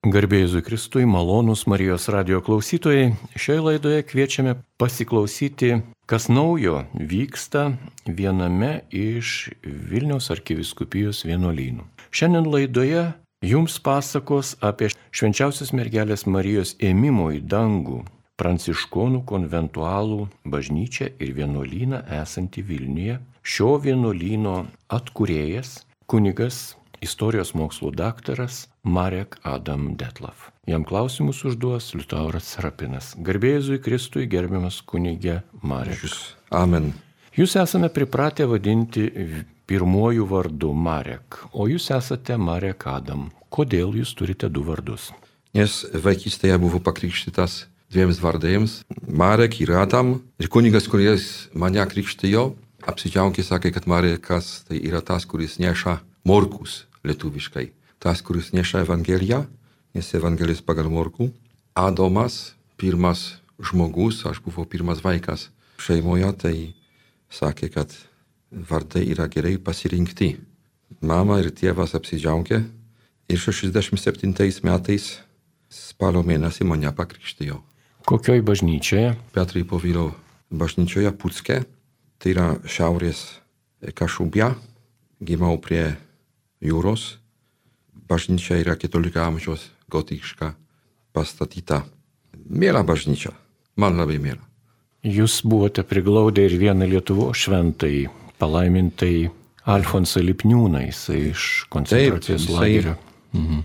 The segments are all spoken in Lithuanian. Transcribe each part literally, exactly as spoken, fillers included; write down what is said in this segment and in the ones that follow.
Garbė Jėzui Kristui, malonūs Marijos radijo klausytojai, šioje laidoje kviečiame pasiklausyti, kas naujo vyksta viename iš Vilniaus arkivyskupijos vienuolynų. Šiandien laidoje jums pasakos apie Švenčiausios mergelės Marijos ėmimo į dangų pranciškonų konventualų bažnyčią ir vienuolyną esantį Vilniuje. Šio vienuolyno atkūrėjas, kunigas, istorijos mokslų daktaras Marek Adam Detlav. Jam klausimus užduos Liutauras Serapinas. Garbė Jėzui Kristui, gerbiamas kunige Marek. Amen. Jūs esame pripratę vadinti pirmuoju vardu Marek, o jūs esate Marek Adam. Kodėl jūs turite du vardus? Nes vaikystėje buvau pakrikštytas dviems vardais, Marek ir Adam. Ir kunigas, kuris mane krikštijo, apsidžiaugė, sakė, kad Marekas tai yra tas, kuris neša morkus lietuviškai. Tas, kuris neša Evangeliją, nes Evangelis pagal morkų. Adomas, pirmas žmogus, aš buvau pirmas vaikas šeimoje, tai sakė, kad vardai yra gerai pasirinkti. Mama ir tėvas apsidžiaugė ir šešiasdešimt septintais metais spalio mėnesį mane pakrikštijo. Kokioj bažnyčioje? Petrai Povilo bažnyčioje Pucke, tai yra šiaurės Kašubia, gimiau prie jūros. Bažnyčia yra ketvirtojo amžiaus gotiška pastatyta. Miela bažnyčia, man labai miela. Jūs buvote priglaudę ir vieną Lietuvos šventąjį, palaimintai Alfonsą Lipniūną, jisai iš koncentracijos lagerio. Mhm.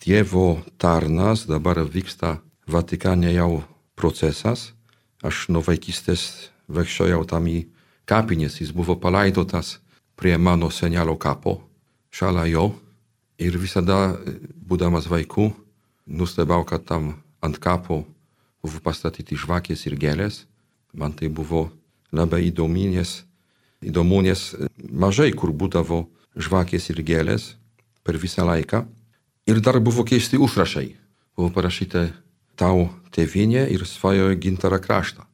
Dievo tarnas, dabar vyksta Vatikane jau procesas. Aš nuo vaikystės vaikščiojau tam į kapinės, jis buvo palaidotas prie mano senelio kapo, šalia jo. Ir visada, būdamas vaikų, nustebau, kad tam ant kapo buvo pastatyti žvakės ir gėlės. Man tai buvo labai įdomu, nes, įdomu, nes mažai kur būdavo žvakės ir gėlės per visą laiką. Ir dar buvo keisti užrašai. Buvo parašyta tau tėvynė ir svajoja gintarą kraštą.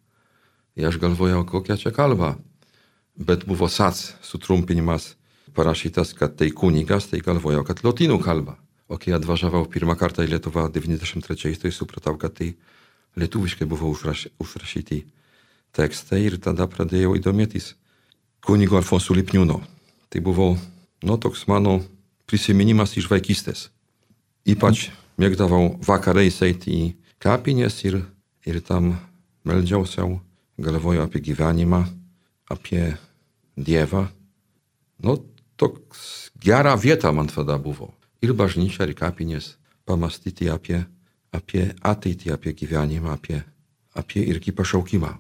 Ir aš galvojau, kokia čia kalba. Bet buvo sac sutrumpinimas parašytas, kad tai kunigas, tai galvojau, kad lotynų kalba. O kai atvažiavau pirmą kartą į Lietuvą devyniasdešimt trečiais, tai supratau, kad tai lietuviškai buvo užraš, užrašyti tekstai ir tada pradėjau įdomėtis kunigo Alfonso Lipniūno. Tai buvo, nu, toks mano prisiminimas iš vaikystės. Ypač mėgdavau vakarais eiti į kapinės ir, ir tam meldžiausiau, galvojau apie gyvenimą, apie Dievą. Nu, toks gera vieta man tada buvo. Ir bažnyčia, ir kapinės pamastyti apie, apie ateitį, apie gyvenimą, apie, apie irgi pašaukimą.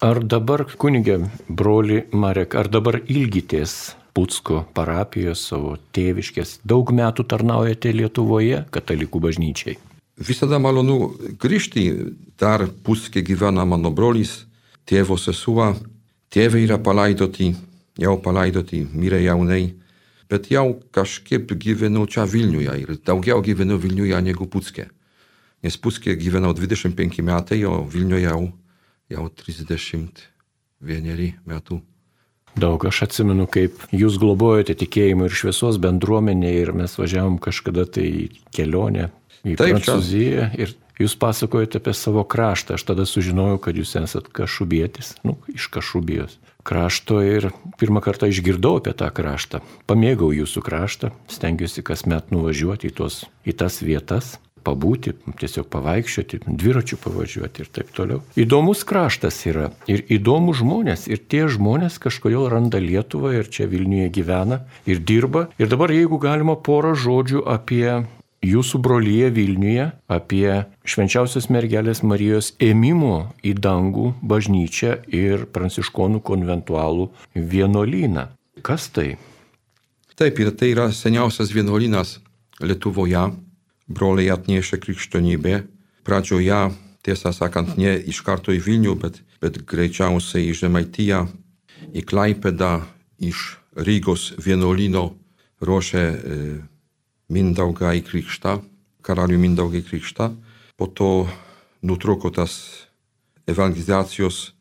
Ar dabar, kunige, broli Marek, ar dabar ilgitės Pucko parapijos savo tėviškės? Daug metų tarnaujate Lietuvoje katalikų bažnyčiai? Visada malonu grįžti. Dar Pucke gyvena mano brolis, tėvo sesuo. Tėvai yra palaidoti, jau palaidoti, mirė jaunai. Bet jau kažkaip gyvenu čia Vilniuje ir daugiau gyvenu Vilniuje negu Pucke. Nes Pucke gyvenau dvidešimt penki metai, o Vilniuje jau, jau trisdešimt vieneri metų. Daug, aš atsimenu, kaip jūs globojate tikėjimo ir šviesos bendruomenę ir mes važiavom kažkada tai į kelionę į Taip, Prancūziją ir jūs pasakojate apie savo kraštą. Aš tada sužinojau, kad jūs esat kašubietis, nu, iš Kašubijos krašto ir pirmą kartą išgirdau apie tą kraštą. Pamėgau jūsų kraštą, stengiuosi kasmet nuvažiuoti į, tos, į tas vietas, pabūti, tiesiog pavaikščioti, dviračių pavažiuoti ir taip toliau. Įdomus kraštas yra ir įdomus žmonės ir tie žmonės kažkodėl randa Lietuvą ir čia Vilniuje gyvena ir dirba. Ir dabar, jeigu galima, porą žodžių apie jūsų brolyje Vilniuje, apie Švenčiausios mergelės Marijos ėmimo į dangų bažnyčią ir pranciškonų konventualų vienuolyną. Kas tai? Taip, ir tai yra seniausias vienuolynas Lietuvoje. Broliai atnešė krikščionybę. Pradžioje, tiesą sakant, ne iš karto į Vilnių, bet, bet greičiausiai į Žemaitiją, į Klaipėdą, iš Rygos vienuolyno ruošė e, Mindaugą į krikštą, karalių Mindaugą į krikštą. Po to nutrūko tas evangelizacijos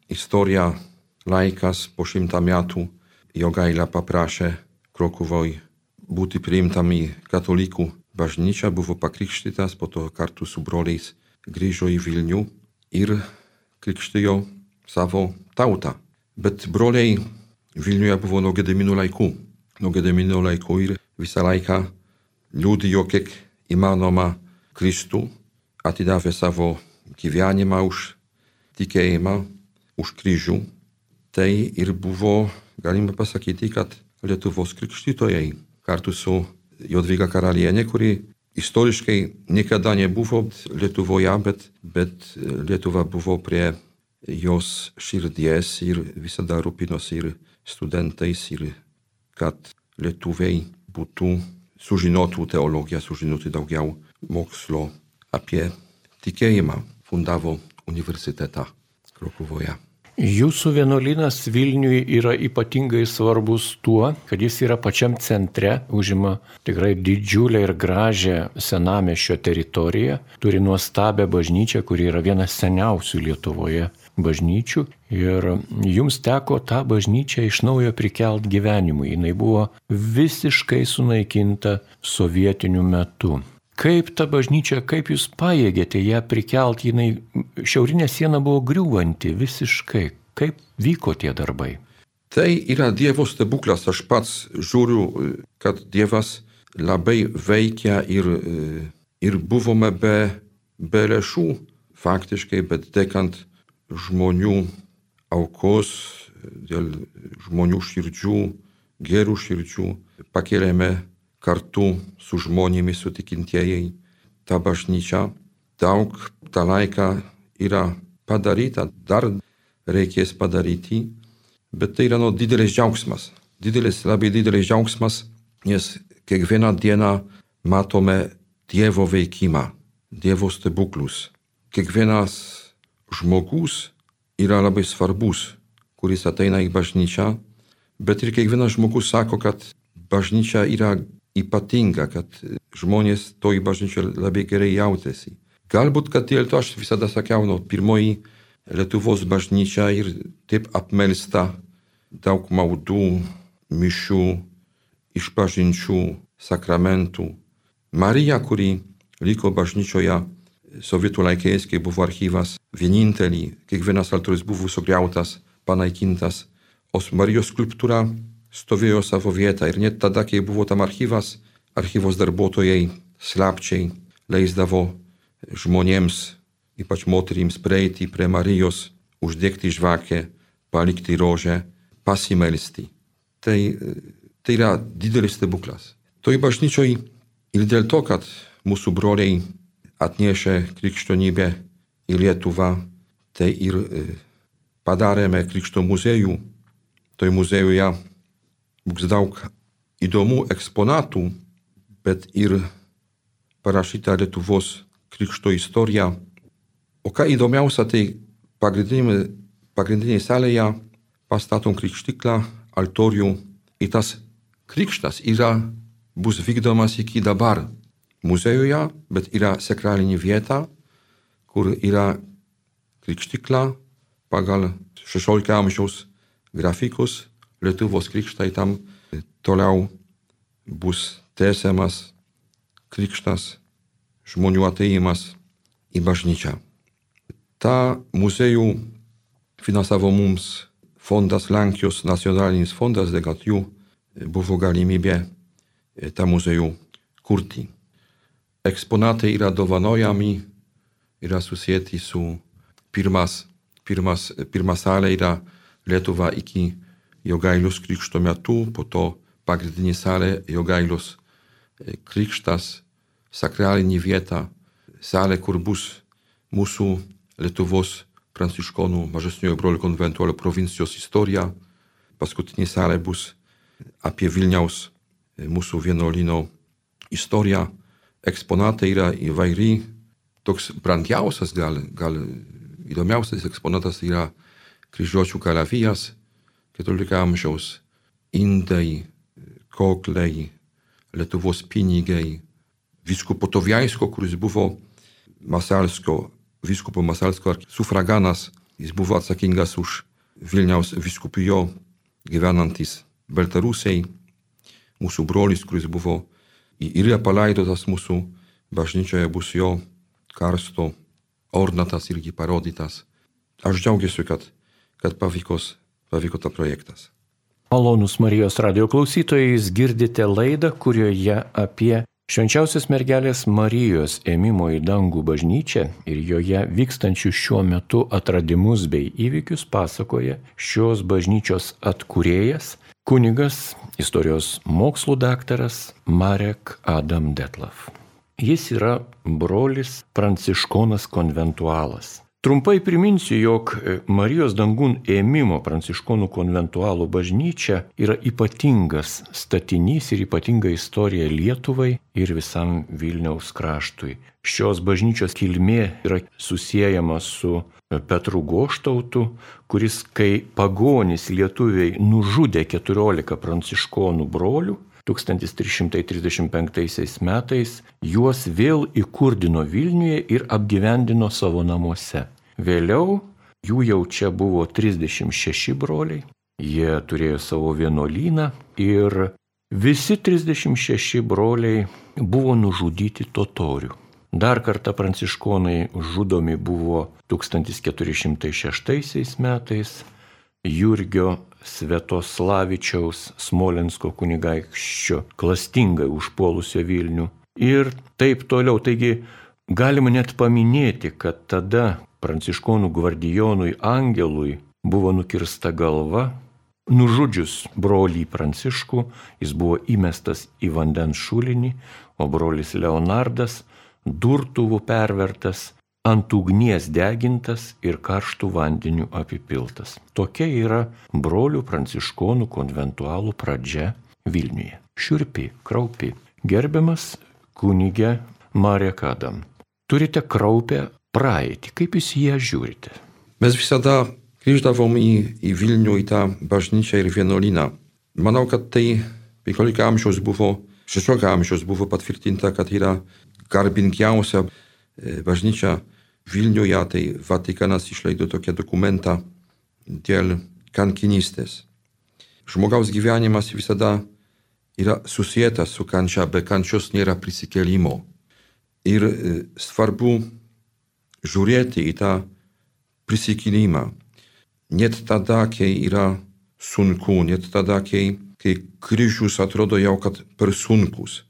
istorija, laikas po šimtą metų. Jogaila paprašė Krokuvoj būti priimtam į katalikų bažnyčią, buvo pakrikštytas, po to kartu su broliais grįžo į Vilnių ir krikštijo savo tautą. Bet broliai Vilniuje buvo nuo Gedimino laikų. Nuo Gedimino laikų ir visą laiką liudijo kiek įmanoma Kristų, atidavė savo gyvenimą už tikėjimą, už kryžių. Tai ir buvo, galima pasakyti, kad Lietuvos krikštytojai kartu su Jadvyga karalienė, kuri istoriškai niekada nebuvo Lietuvoje, bet, bet Lietuva buvo prie jos širdies ir visada rūpinosi ir studentais, ir kad lietuviai būtų sužinotų teologiją, sužinotų daugiau mokslo apie tikėjimą. Fundavo universitetą Krokuvoje. Jūsų vienuolynas Vilniui yra ypatingai svarbus tuo, kad jis yra pačiam centre, užima tikrai didžiulę ir gražią senamiesčio teritoriją, turi nuostabią bažnyčią, kuri yra viena seniausių Lietuvoje bažnyčių ir jums teko tą bažnyčią iš naujo prikelt gyvenimui. Jinai buvo visiškai sunaikinta sovietiniu metu. Kaip ta bažnyčia, kaip jūs pajėgėte ją prikelt, jinai šiaurinė siena buvo griūvanti visiškai. Kaip vyko tie darbai? Tai yra Dievo stebuklas. Aš pats žiūriu, kad Dievas labai veikia ir, ir buvome be, be lėšų faktiškai, bet dėkant žmonių aukos, dėl žmonių širdžių, gerų širdžių, pakėlėme kartu su žmonėmis, su tikintieji tą bažnyčią. Daug tą laiką yra padaryta, dar reikės padaryti, bet tai yra no, didelis džiaugsmas. Didelis, labai didelis džiaugsmas, nes kiekvieną dieną matome Dievo veikimą, Dievo stebuklus. Kiekvienas žmogus yra labai svarbus, kuris ateina į bažnyčią, bet ir kiekvienas žmogus sako, kad bažnyčia yra ypatinga, kad žmonės toj bažnyčioj labai gerai jautėsi. Galbūt, kad dėl to aš visada sakiau, no, pirmoji Lietuvos bažnyčia ir taip apmelsta daug maldų, mišių, išpažinčių, sakramentų. Marija, kuri liko bažnyčioje sovietų laikais, kai buvo archyvas, vienintelį, kiekvienas altorius buvo sugriautas, panaikintas, o Marijos skulptūra stovėjo savo vietą ir net tada, kai buvo tam archyvas, archyvos darbuotojai slapčiai leisdavo žmonėms, ypač moterims, prieiti prie Marijos, uždegti žvakę, palikti rožę, pasimelsti. Tai, tai yra didelis stebuklas. Toj bažnyčioj ir dėl to, kad mūsų broliai atnešė krikščionybę į Lietuvą, tai ir padarėme krikšto muziejų. Toj muziejuje bus daug įdomų eksponatų, bet ir parašyta Lietuvos krikšto istorija. O ką įdomiausia, tai pagrindinėje, pagrindinėje salėje pastatom krikštiklą, altorių. Ir tas krikštas yra, bus vykdomas iki dabar muziejuje, bet yra sakralinė vieta, kur yra krikštikla pagal šešiolikto amžiaus grafikus. Lietuvos krikštai tam toliau bus tęsiamas krikštas, žmonių atėjimas į bažnyčią. Ta muziejų finansavo mums fondas, Lenkijos nacionalinis fondas, dėl kad jų buvo galimybė tą muziejų kurti. Eksponatai yra dovanojami, yra susijęti su pirmas, pirmas, pirma salė yra Lietuva iki Jogailius krikšto metu, po to pagrindinė salė Jogailius krikštas, sakralinė vieta, salė, kur bus mūsų Lietuvos pranciškonų mažesniojo brolių konventualio provincijos istorija. Paskutinė salė bus apie Vilniaus mūsų vienuolyno istoriją. Eksponatai yra įvairiai. Toks brangiausias, gal, gal įdomiausias eksponatas yra kryžiuočių kalavijas, keturiolikto amžiaus, indai, kokliai, Lietuvos pinigai, vyskupo Toviaisko, kuris buvo Masalsko, vyskupo Masalsko sufraganas, jis buvo atsakingas už Vilniaus vyskupijo gyvenantis Baltarusiai, mūsų brolis, kuris buvo yra palaidotas mūsų bažnyčioje, bus jo karsto ornatas irgi parodytas. Aš džiaugiuosi, kad, kad pavykos, pavyko tas projektas. Malonūs Marijos radijo klausytojai, jūs girdite laidą, kurioje apie Švenčiausios mergelės Marijos ėmimo į dangų bažnyčią ir joje vykstančių šiuo metu atradimus bei įvykius pasakoja šios bažnyčios atkūrėjas, kunigas, istorijos mokslų daktaras Marek Adam Detlav. Jis yra brolis pranciškonas konventualas. Trumpai priminsiu, jog Marijos dangun ėmimo pranciškonų konventualų bažnyčia yra ypatingas statinys ir ypatinga istorija Lietuvai ir visam Vilniaus kraštui. Šios bažnyčios kilmė yra susiejama su Petru Goštautu, kuris, kai pagonys lietuviai nužudė keturiolika pranciškonų brolių, tūkstantis trys šimtai trisdešimt penktaisiais metais juos vėl įkurdino Vilniuje ir apgyvendino savo namuose. Vėliau jų jau čia buvo trisdešimt šeši broliai, jie turėjo savo vienuolyną ir visi trisdešimt šeši broliai buvo nužudyti totorių. Dar kartą pranciškonai žudomi buvo tūkstantis keturi šimtai šeštaisiais metais, Jurgio Svetoslavičiaus Smolensko kunigaikščio klastingai užpuolusio Vilnių ir taip toliau. Taigi galima net paminėti, kad tada pranciškonų gvardijonui Angelui buvo nukirsta galva, nužudžius brolį Pranciškų, jis buvo įmestas į vandens šulinį, o brolis Leonardas durtuvų pervertas, ant ugnies degintas ir karštų vandenių apipiltas. Tokia yra brolių pranciškonų konventualų pradžia Vilniuje. Šiurpi, kraupi. Gerbiamas kunige Marek Adam, turite kraupę praeitį. Kaip jūs ją žiūrite? Mes visada grįždavom į, į Vilnių, į tą bažnyčią ir vienuolyną. Manau, kad tai penkiolika amžiaus buvo, šešiolika amžiaus buvo patvirtinta, kad yra garbingiausia bažnyčia Vilniuje, tai Vatikanas išleido tokią dokumentą dėl kankinystės. Žmogaus gyvenimas visada yra susietas su kančia, be kančios nėra prisikėlimo. Ir svarbu žiūrėti į tą prisikėlimą. Net tada, kai yra sunku, net tada, kai, kai kryžius atrodo jau kad per sunkus.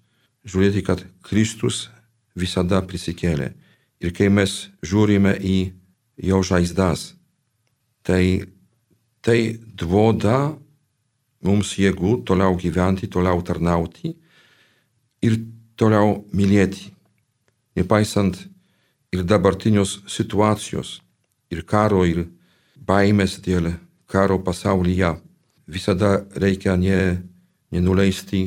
Žiūrėti, kad Kristus visada prisikėlė. Ir kai mes žiūrime į jo žaizdas, tai tai duoda mums jėgų toliau gyventi, toliau tarnauti ir toliau mylėti. Nepaisant ir dabartinios situacijos, ir karo, ir baimės dėl karo pasaulyje, visada reikia ne, nenuleisti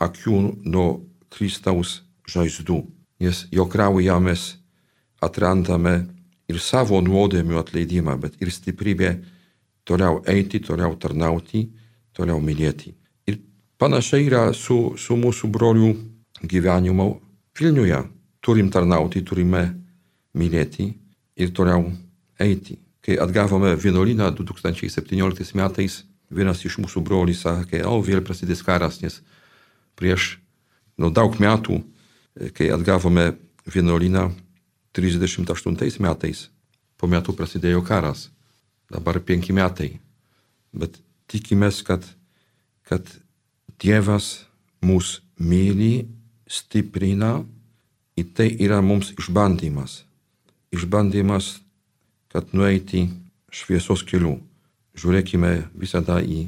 akių nuo Kristaus žaizdų. Nes jo kraujuje mes atrandame ir savo nuodėmių atleidimą, bet ir stiprybę toliau eiti, toliau tarnauti, toliau mylėti. Ir panašiai yra su, su mūsų brolių gyvenimu Vilniuje. Turim tarnauti, turime mylėti ir toliau eiti. Kai atgavome vienuolyną du tūkstančiai septynioliktais metais, vienas iš mūsų brolių sakė, o vėl prasidės karas, nes prieš nu, daug metų, kai atgavome vienuolyną trisdešimt aštuntais metais, po metų prasidėjo karas, dabar penki metai. Bet tikimės, kad, kad Dievas mus myli, stiprina ir tai yra mums išbandymas. Išbandymas, kad nueiti šviesos keliu. Žiūrėkime visada į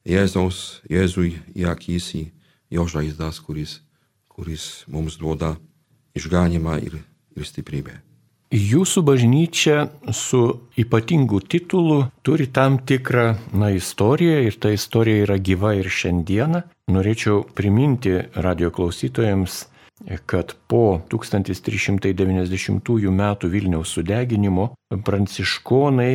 Jėzaus, Jėzui į akis, į jo žaizdas, kuris kuris mums duoda išganymą ir, ir stiprybę. Jūsų bažnyčia su ypatingu titulu turi tam tikrą na, istoriją ir ta istorija yra gyva ir šiandieną. Norėčiau priminti radijo klausytojams, kad po tūkstantis trys šimtai devyniasdešimtųjų metų Vilniaus sudeginimo pranciškonai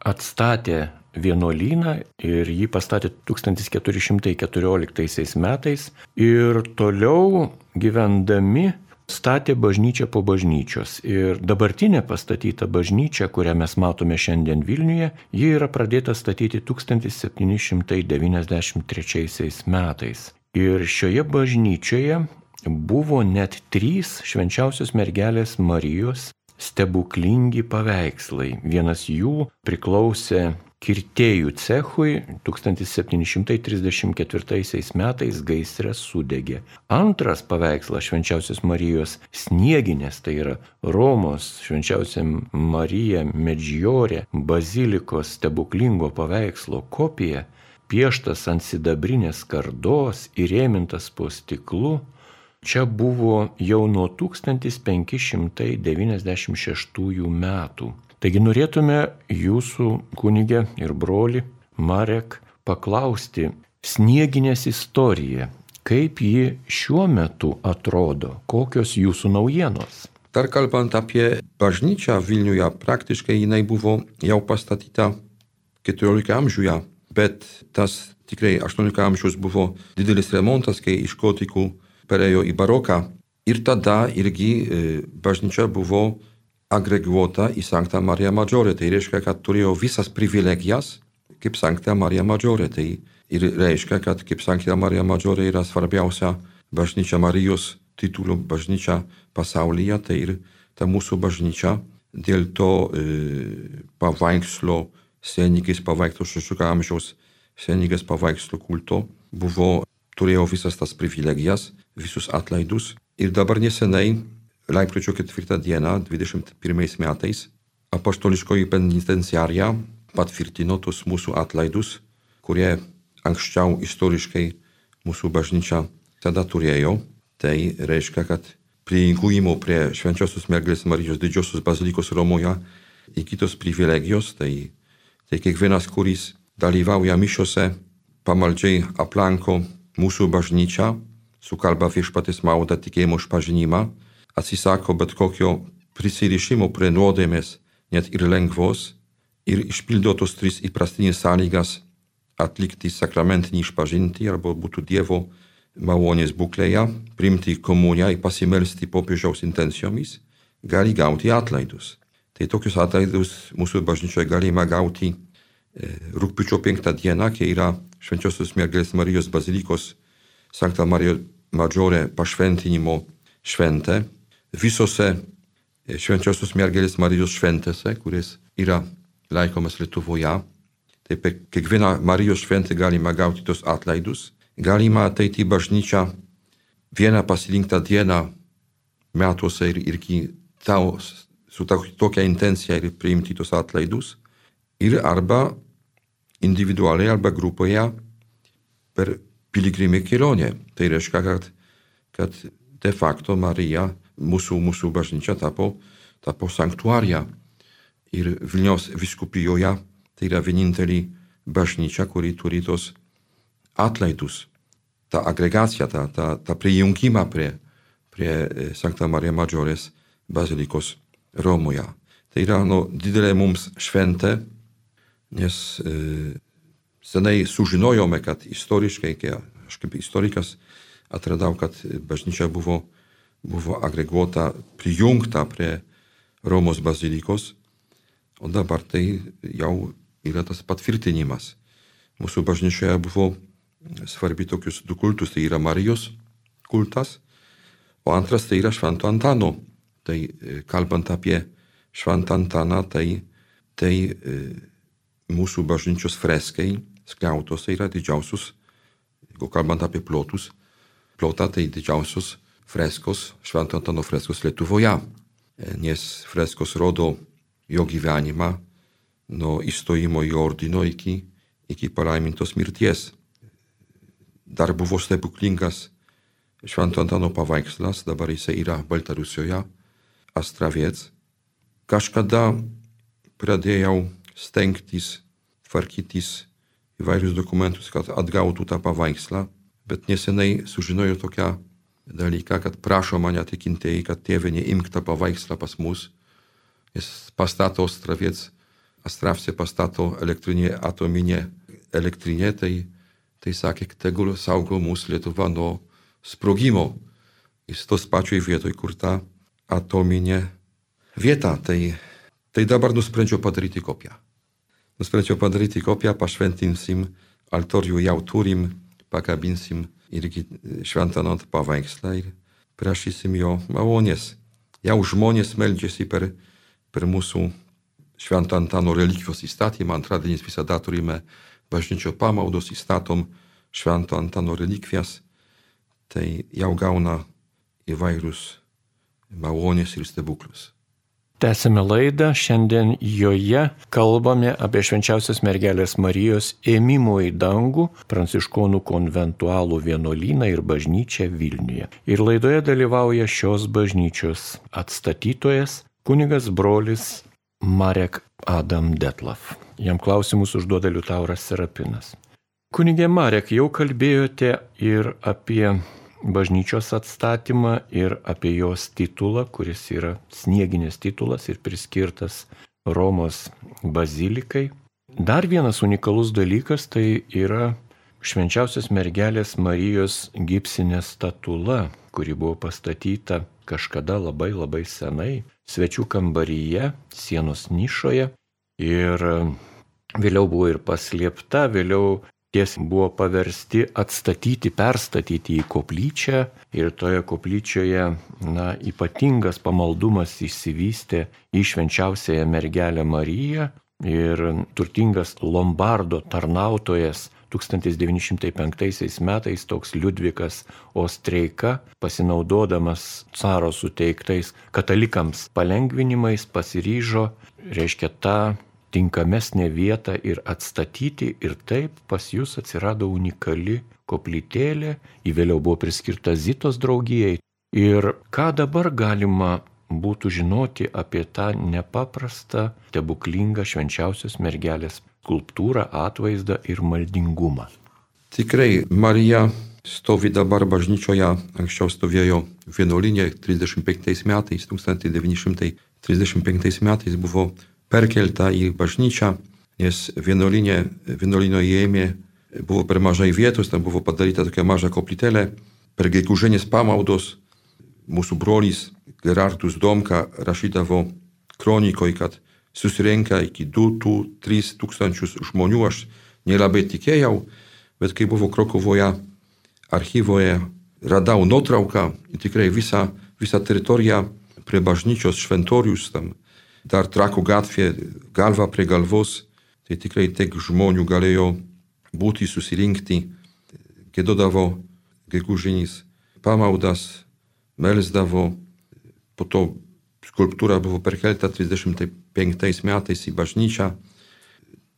atstatė vienuolyną ir jį pastatė tūkstantis keturi šimtai keturioliktaisiais metais ir toliau gyvendami statė bažnyčią po bažnyčios. Ir dabartinė pastatyta bažnyčia, kurią mes matome šiandien Vilniuje, ji yra pradėta statyti tūkstantis septyni šimtai devyniasdešimt trečiaisiais metais. Ir šioje bažnyčioje buvo net trys švenčiausios mergelės Marijos stebuklingi paveikslai. Vienas jų priklausė kirtėjų cechui, tūkstantis septyni šimtai trisdešimt ketvirtaisiais metais gaisre sudegė. Antras paveikslas švenčiausios Marijos Snieginės, tai yra Romos švenčiausia Marija Medžiorė bazilikos stebuklingo paveikslo kopija, pieštas ant sidabrinės skardos, įrėmintas po stiklu, čia buvo jau nuo tūkstantis penki šimtai devyniasdešimt šeštųjų metų. Taigi norėtume jūsų kunigė ir broli Marek paklausti Snieginės istoriją, kaip ji šiuo metu atrodo, kokios jūsų naujienos. Dar kalbant apie bažnyčią Vilniuje, praktiškai jinai buvo jau pastatyta keturioliktame amžiuje, bet tas tikrai aštuonioliktas amžius buvo didelis remontas, kai iš gotikų perėjo į baroką. Ir tada irgi bažnyčia buvo agreguota į Sancta Maria Maggiore. Tai reiškia, kad turėjo visas privilegijas kaip Sancta Maria Maggiore. Tai ir reiškia, kad kaip Sancta Maria Maggiore yra svarbiausia bažnyčia Marijos titulų bažnyčia pasaulyje. Tai ir ta mūsų bažnyčia dėl to e, paveikslo, senigės paveikslo šešiolikto amžiaus senigės paveikslo kulto buvo, turėjo visas tas privilegijas, visus atlaidus. Ir dabar nesenai, lapkričio ketvirtą dieną, dvidešimt pirmais metais, apaštališkoji penitenciarija patvirtino tus mūsų atlaidus, kurie anksčiau istoriškai mūsų bažnyčia tada turėjo. Tai reiškia, kad prijungimo prie Švenčiausios mergelės Marijos didžiosios bazilikos Romoje įgytos privilegijos, tai, tai kiekvienas, kuris dalyvauja mišiose, pamaldžiai aplanko mūsų bažnyčią, sukalba viešpaties maldą tikėjimo išpažinimą, atsisako bet kokio prisirišimo prie nuodėmės, net ir lengvos, ir išpildo tos tris įprastinės sąlygas atlikti sakramentinį išpažinti arba būtų Dievo malonės būklėje, priimti komuniją ir pasimelsti popiežiaus intencijomis, gali gauti atlaidus. Tai tokius atlaidus mūsų bažnyčioje galima gauti e, rugpjūčio penktą dieną, kai yra Švenčiausios mergelės Marijos bazilikos Sancta Maria Maggiore pašventinimo šventė. Visose Švenčiausios mergelės Marijos šventėse, kuris yra laikomas Lietuvoje, tai per kiekvieną Marijos šventę galima gauti tos atlaidus. Galima ateiti į bažnyčią vieną pasirinktą dieną metuose ir irgi tau, su tokia intencija ir priimti tos atlaidus. Ir arba individualiai, arba grupoje per piligrimę kelionę. Tai reiškia, kad, kad de facto Marija, mūsų, mūsų bažnyčia tapo, tapo sanktuarija. Ir Vilniaus vyskupijoje tai yra vienintelė bažnyčia, kuri turi tos atlaidus. Ta agregacija, ta, ta, ta prijungimą prie, prie Sancta Maria Maggiorės bazilikos Romoje. Tai yra no, didelė mums šventė, nes e, senai sužinojome, kad istoriškai, kai aš kaip istorikas atradau, kad bažnyčia buvo, buvo agreguota, prijungta prie Romos bazilikos, o dabar tai jau yra tas patvirtinimas. Mūsų bažnyčioje buvo svarbi tokius du kultus, tai yra Marijos kultas, o antras tai yra Švento Antano. Tai kalbant apie Šventą Antaną, tai, tai e, mūsų bažnyčios freskai skliautose yra didžiausius, jeigu kalbant apie plotus, plotą tai didžiausios freskos, Švento Antano freskos Lietuvoje, nes freskos rodo jo gyvenimą nuo įstojimo į ordino iki, iki palaimintos mirties. Dar buvo stebuklingas Švento Antano paveikslas, dabar jisai yra Baltarusijoje, Astraviec. Kažkada pradėjau stengtis, tvarkytis įvairius dokumentus, kad atgautų tą paveikslą, bet nesenai sužinojau tokią dalyką, kad prašo mane tikintieji, kad tėve neimk tą paveikslą pas mus, jis pastato Astraviec, Astravce pastato elektrinė, atominė elektrinė, tai, tai sakė, tegul saugo mūsų Lietuva nuo sprogimo. Jis tos pačioj vietoj, kur ta atominė vieta, tai, tai dabar nusprendžiau padaryti kopiją. Nusprendžiau padaryti kopiją, pašventinsim, altorių jau turim, pakabinsim irgi Šventą Antano paveikslą ir prašysim jo malonės. Jau žmonės meldžiasi per, per mūsų Švento Antano relikvijos įstatymą. Antradieniais visada turime bažnyčio pamaldos, įstatom Švento Antano relikvijas. Tai jau gauna įvairius malonės ir stebuklus. Tęsime laidą, šiandien joje kalbame apie Švenčiausios mergelės Marijos ėmimo į dangų pranciškonų konventualų vienuolyną ir bažnyčią Vilniuje. Ir laidoje dalyvauja šios bažnyčios atstatytojas, kunigas brolis Marek Adam Detlav. Jam klausimus užduoda Liutauras Serapinas. Kunigė Marek, jau kalbėjote ir apie bažnyčios atstatymą ir apie jos titulą, kuris yra snieginis titulas ir priskirtas Romos bazilikai. Dar vienas unikalus dalykas tai yra Švenčiausios mergelės Marijos gipsinė statula, kuri buvo pastatyta kažkada labai labai senai, svečių kambaryje, sienos nišoje ir vėliau buvo ir paslėpta, vėliau ties buvo paversti atstatyti, perstatyti į koplyčią ir toje koplyčioje na, ypatingas pamaldumas išsivystė į Švenčiausiąją mergelę Mariją ir turtingas Lombardo tarnautojas tūkstantis devyni šimtai penktaisiais metais toks Liudvikas Ostreika, pasinaudodamas caro suteiktais katalikams palengvinimais, pasiryžo, reiškia, tą tinkamesnę vietą ir atstatyti ir taip pas jūs atsirado unikali koplytėlė, ji vėliau buvo priskirta Zitos draugijai. Ir ką dabar galima būtų žinoti apie tą nepaprastą, stebuklingą Švenčiausios mergelės skulptūrą, atvaizdą ir maldingumą? Tikrai Marija stovi dabar bažnyčioje, anksčiau stovėjo vienuolyne trisdešimt penktais metais, tūkstantis devyni šimtai trisdešimt penktais metais buvo perkelta į bažnyčią, nes vienuolinė, vienuolino įėjime buvo per mažai vietos, tam buvo padaryta tokia maža koplytėlė. Per gegužinės pamaldos mūsų brolis Gerardus Domka rašydavo kronikoj, kad susirenka iki du tris tūkstančius žmonių. Aš nelabai tikėjau, bet kai buvo Krokuvoje archyvoje, radau nuotrauką, tikrai visą, visą teritoriją prie bažnyčios šventorius, tam dar Trakų gatvė, galva prie galvos, tai tikrai tiek žmonių galėjo būti, susirinkti, giedodavo gegužinis pamaldas, melsdavo, po to skulptūra buvo perkelta trisdešimt penktais metais į bažnyčią.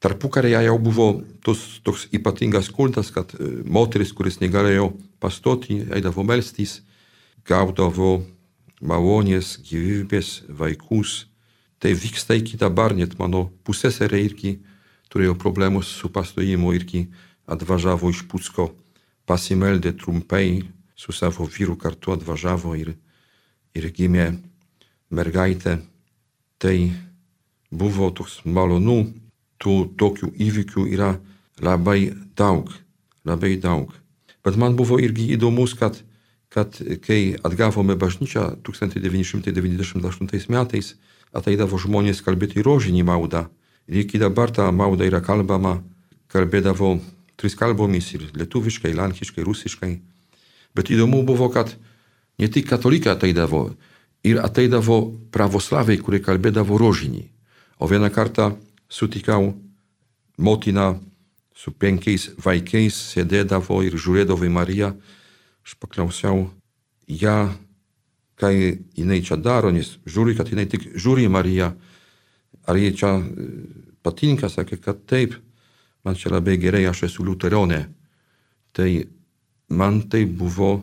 Tarpukaryje jau buvo tos, toks ypatingas kultas, kad moteris, kuris negalėjo pastoti, eidavo melstis, gaudavo malonės, gyvybės, vaikus. Tai vyksta iki dabar, net mano pusseserė irgi turėjo problemų su pastojimu, irgi atvažiavo iš Pucko, pasimeldė trumpai, su savo vyru kartu atvažiavo ir, ir gimė mergaitė. Tai buvo toks malonu, tų tokių įvykių yra labai daug, labai daug. Bet man buvo irgi įdomus, kad, kad kai atgavome bažnyčią tūkstantis devyni šimtai devyniasdešimt aštuntais metais, ateidavo žmonės kalbėti rožinį maldą. Ir iki dabar ta malda yra kalbama, kalbėdavo tris kalbomis ir lietuviškai, lenkiškai, rusiškai. Bet įdomu buvo, kad ne tik katalikai ateidavo, ir ateidavo pravoslaviai, kurie kalbėdavo rožinį. O vieną kartą sutikau motiną su penkiais vaikais, sėdėdavo ir žiūrėdavo į Mariją. Aš paklausiau ją, ką jinai čia daro, nes žiūri, kad jinai tik žiūri į Mariją. Ar jie čia patinka, sakė, kad taip, man čia labai gerai, aš esu liuteronė. Tai man tai buvo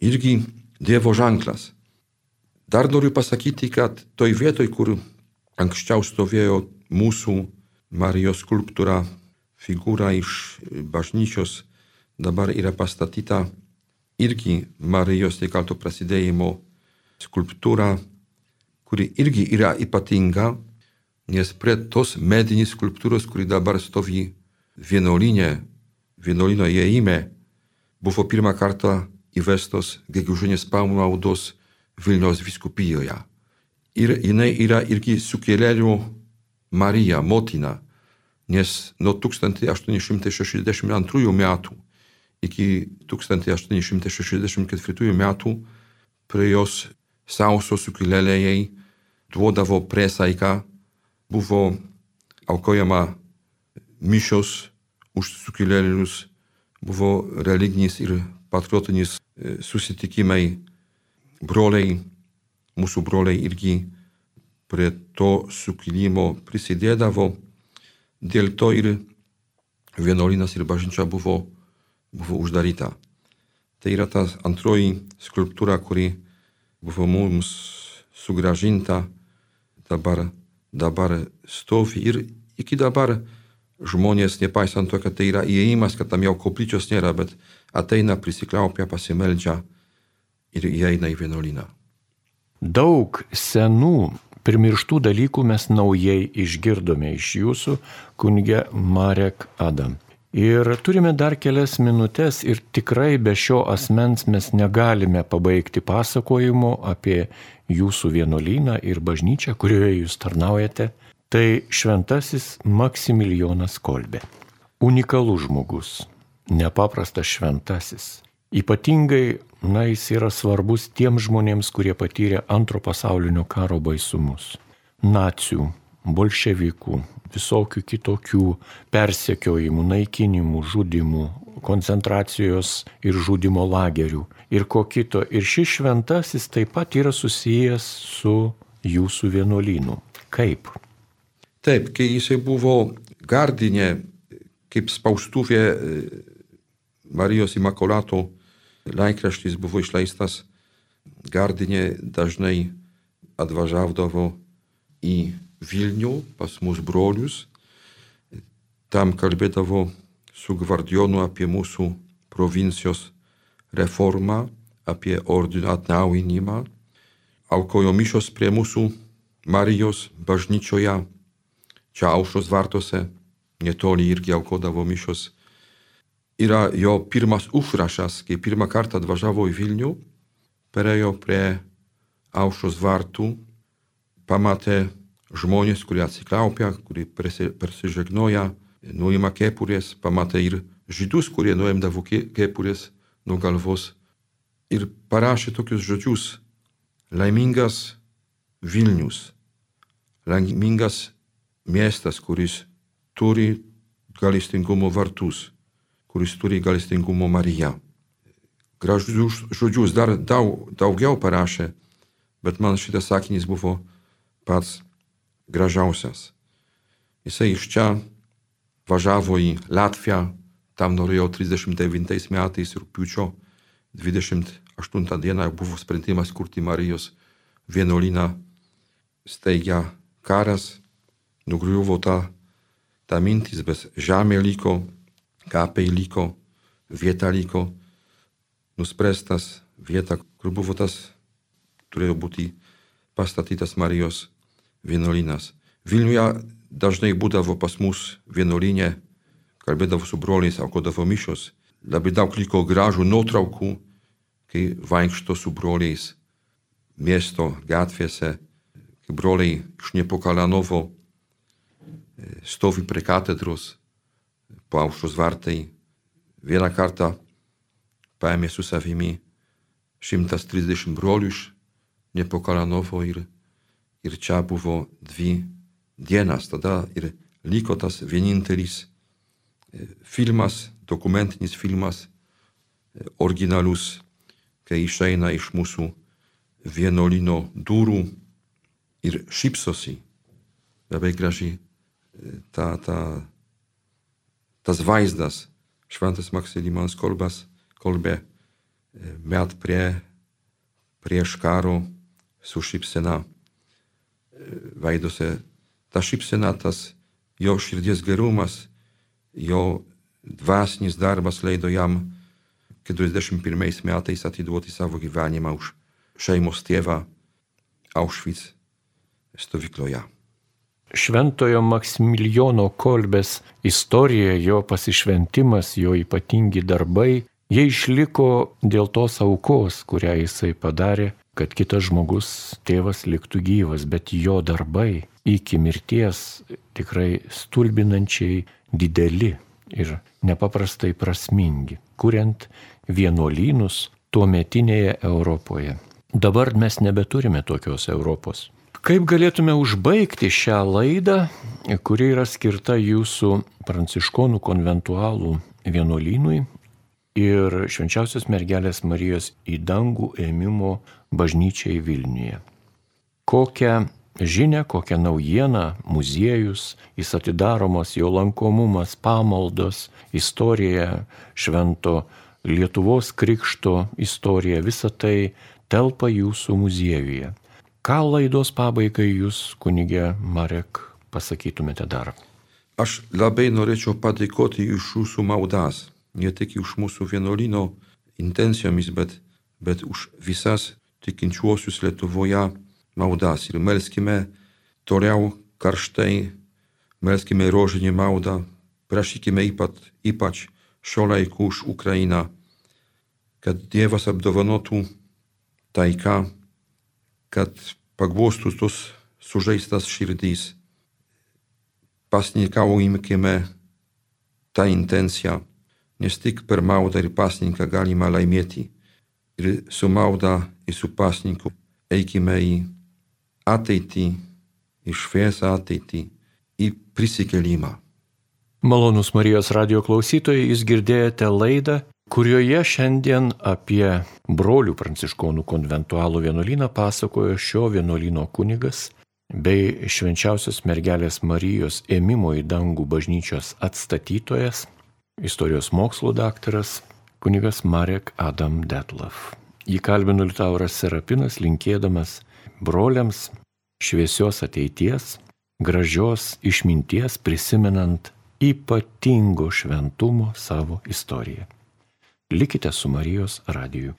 irgi Dievo ženklas. Dar noriu pasakyti, kad toj vietoj, kur anksčiau stovėjo mūsų Marijos skulptūra, figūra iš bažnyčios, dabar yra pastatyta irgi Marijos nekalto prasidėjimo skulptūra, kuri irgi yra ypatinga, nes prie tos medinės skulptūros, kuri dabar stovi vienuolyne, vienuolino įėjime, buvo pirmą kartą įvestos gegužinės pamaldos Vilniaus vyskupijoje. Ir jinai yra irgi sukėlėlių Marija, motina, nes nuo tūkstantis aštuoni šimtai šešiasdešimt antrųjų metų iki tūkstantis aštuoni šimtai šešiasdešimt ketvirtųjų metų prie jos sauso sukilėliai duodavo priesaiką, buvo aukojama mišios už sukilėlius, buvo religinis ir patriotinis susitikimai. Broliai, mūsų broliai irgi prie to sukilimo prisidėdavo. Dėl to ir vienuolynas ir bažnyčia buvo, buvo uždaryta. Tai yra ta antroji skulptūra, kuri buvo mums sugrąžinta, dabar, dabar stovi ir iki dabar žmonės, nepaisant to, kad tai yra įėjimas, kad tam jau koplyčios nėra, bet ateina, prisikliaupia, pasimeldžia ir įeina į vienuolyną. Daug senų primirštų dalykų mes naujai išgirdome iš jūsų, kunige Marek Adam. Ir turime dar kelias minutės ir tikrai be šio asmens mes negalime pabaigti pasakojimo apie jūsų vienuolyną ir bažnyčią, kurioje jūs tarnaujate. Tai šventasis Maksimilijonas Kolbė. Unikalus žmogus, nepaprastas šventasis. Ypatingai, na, jis yra svarbus tiems žmonėms, kurie patyrė antro pasaulinio karo baisumus. Nacių, bolševikų, visokių kitokių persekiojimų, naikinimų, žudimų, koncentracijos ir žudimo lagerių ir ko kito. Ir šis šventasis taip pat yra susijęs su jūsų vienuolynu. Kaip? Taip, kai jisai buvo Gardine, kaip spaustuvė Marijos Imakolato laikraštis buvo išleistas, Gardine dažnai atvažiavdavo į Vilnių pas mūsų brolius. Tam kalbėdavo su gvardionu apie mūsų provincijos reformą, apie ordino atnaujinimą. Aukojo mišios prie mūsų Marijos bažnyčioje, čia Aušros vartuose, netoli irgi aukodavo mišios. Yra jo pirmas užrašas, kai pirmą kartą atvažiavo į Vilnių, perėjo prie Aušros vartų, pamatė žmonės, kurie atsiklaupia, kurie persižegnoja, nuima kepurės, pamatė ir žydus, kurie nuimdavo kepurės nuo galvos ir parašė tokius žodžius: laimingas Vilnius, laimingas miestas, kuris turi gailestingumo vartus, kuris turi gailestingumo Mariją. Gražius žodžius dar daug, daugiau parašė, bet man šitas sakinys buvo pats gražiausias. Jisai iš čia važiavo į Latviją, tam norėjo trisdešimt devintais metais rugpjūčio dvidešimt aštuntą dieną buvo sprendimas kurti Marijos vienuolyną. Staigia karas, nugriuvo ta, ta mintis, bet žemė liko, kapai liko, vieta liko, nuspręstas vieta, kur buvo tas, turėjo būti pastatytas Marijos vienuolynas. Vilniuje dažnai būdavo pas mus vienuolyne, kalbėdavo su broliais, aukodavo mišios. Labai daug liko gražų nuotraukų, kai vaikšto su broliais miesto gatvėse, kai broliai iš Nepokalanovo stovi prie katedros po Aušros vartai. Vieną kartą paėmė su savimi šimtas trisdešimt brolių iš Nepokalanovo ir, ir čia buvo dvi dienas. Tada ir liko tas vienintelis filmas, dokumentinis filmas, originalus, kai išeina iš mūsų vienuolyno durų ir šypsosi. Labai gražiai ta, ta, tas vaizdas, šventas Maksimilijonas Kolbas, Kolbė, met prie, prieš karo su šypsena veiduose. Ta šypsena, tas jo širdies gerumas, jo dvasinis darbas leido jam keturiasdešimt pirmais metais atiduoti savo gyvenimą už šeimos tėvą Auschwitz stovykloje. Šventojo Maksimilijono Kolbės istorija, jo pasišventimas, jo ypatingi darbai, jie išliko dėl tos aukos, kurią jisai padarė, kad kitas žmogus, tėvas, liktų gyvas, bet jo darbai iki mirties tikrai stulbinančiai dideli ir nepaprastai prasmingi, kuriant vienuolynus tuometinėje Europoje. Dabar mes nebeturime tokios Europos. Kaip galėtume užbaigti šią laidą, kuri yra skirta jūsų pranciškonų konventualų vienuolynui ir Švenčiausios mergelės Marijos į dangų ėmimo bažnyčiai Vilniuje? Kokią žinią, kokią naujieną muziejus, jis atidaromos, jo lankomumas, pamaldos, istorija, švento Lietuvos krikšto istorija, visa tai telpa jūsų muziejuje. Ką laidos pabaigai jūs, kunigė Marek, pasakytumėte dar? Aš labai norėčiau padėkoti iš jūsų maldas, ne tik už mūsų vienuolyno intencijomis, bet, bet už visas tikinčiuosius Lietuvoje maldas. Ir melskime toliau karštai, melskime rožinį maldą, prašykime ypač, ypač šio laiku už Ukrainą, kad Dievas apdovanotų taiką, kad paglostų tos sužeistas širdys. Pasninkaujimkime tą intenciją, nes tik per maldą ir pasninką galima laimėti. Ir su malda ir su pasninku eikime į ateitį, į šviesą ateitį, į prisikėlimą. Malonūs Marijos radijo klausytojai, jūs girdėjote laidą, kurioje šiandien apie brolių pranciškonų konventualų vienuolyną pasakojo šio vienuolyno kunigas bei Švenčiausios mergelės Marijos ėmimo į dangų bažnyčios atstatytojas, istorijos mokslų daktaras, kunigas Marek Adam Detlav. Jį kalbino Liutauras Serapinas, linkėdamas broliams šviesios ateities, gražios išminties, prisimenant ypatingo šventumo savo istoriją. Likite su Marijos radiju.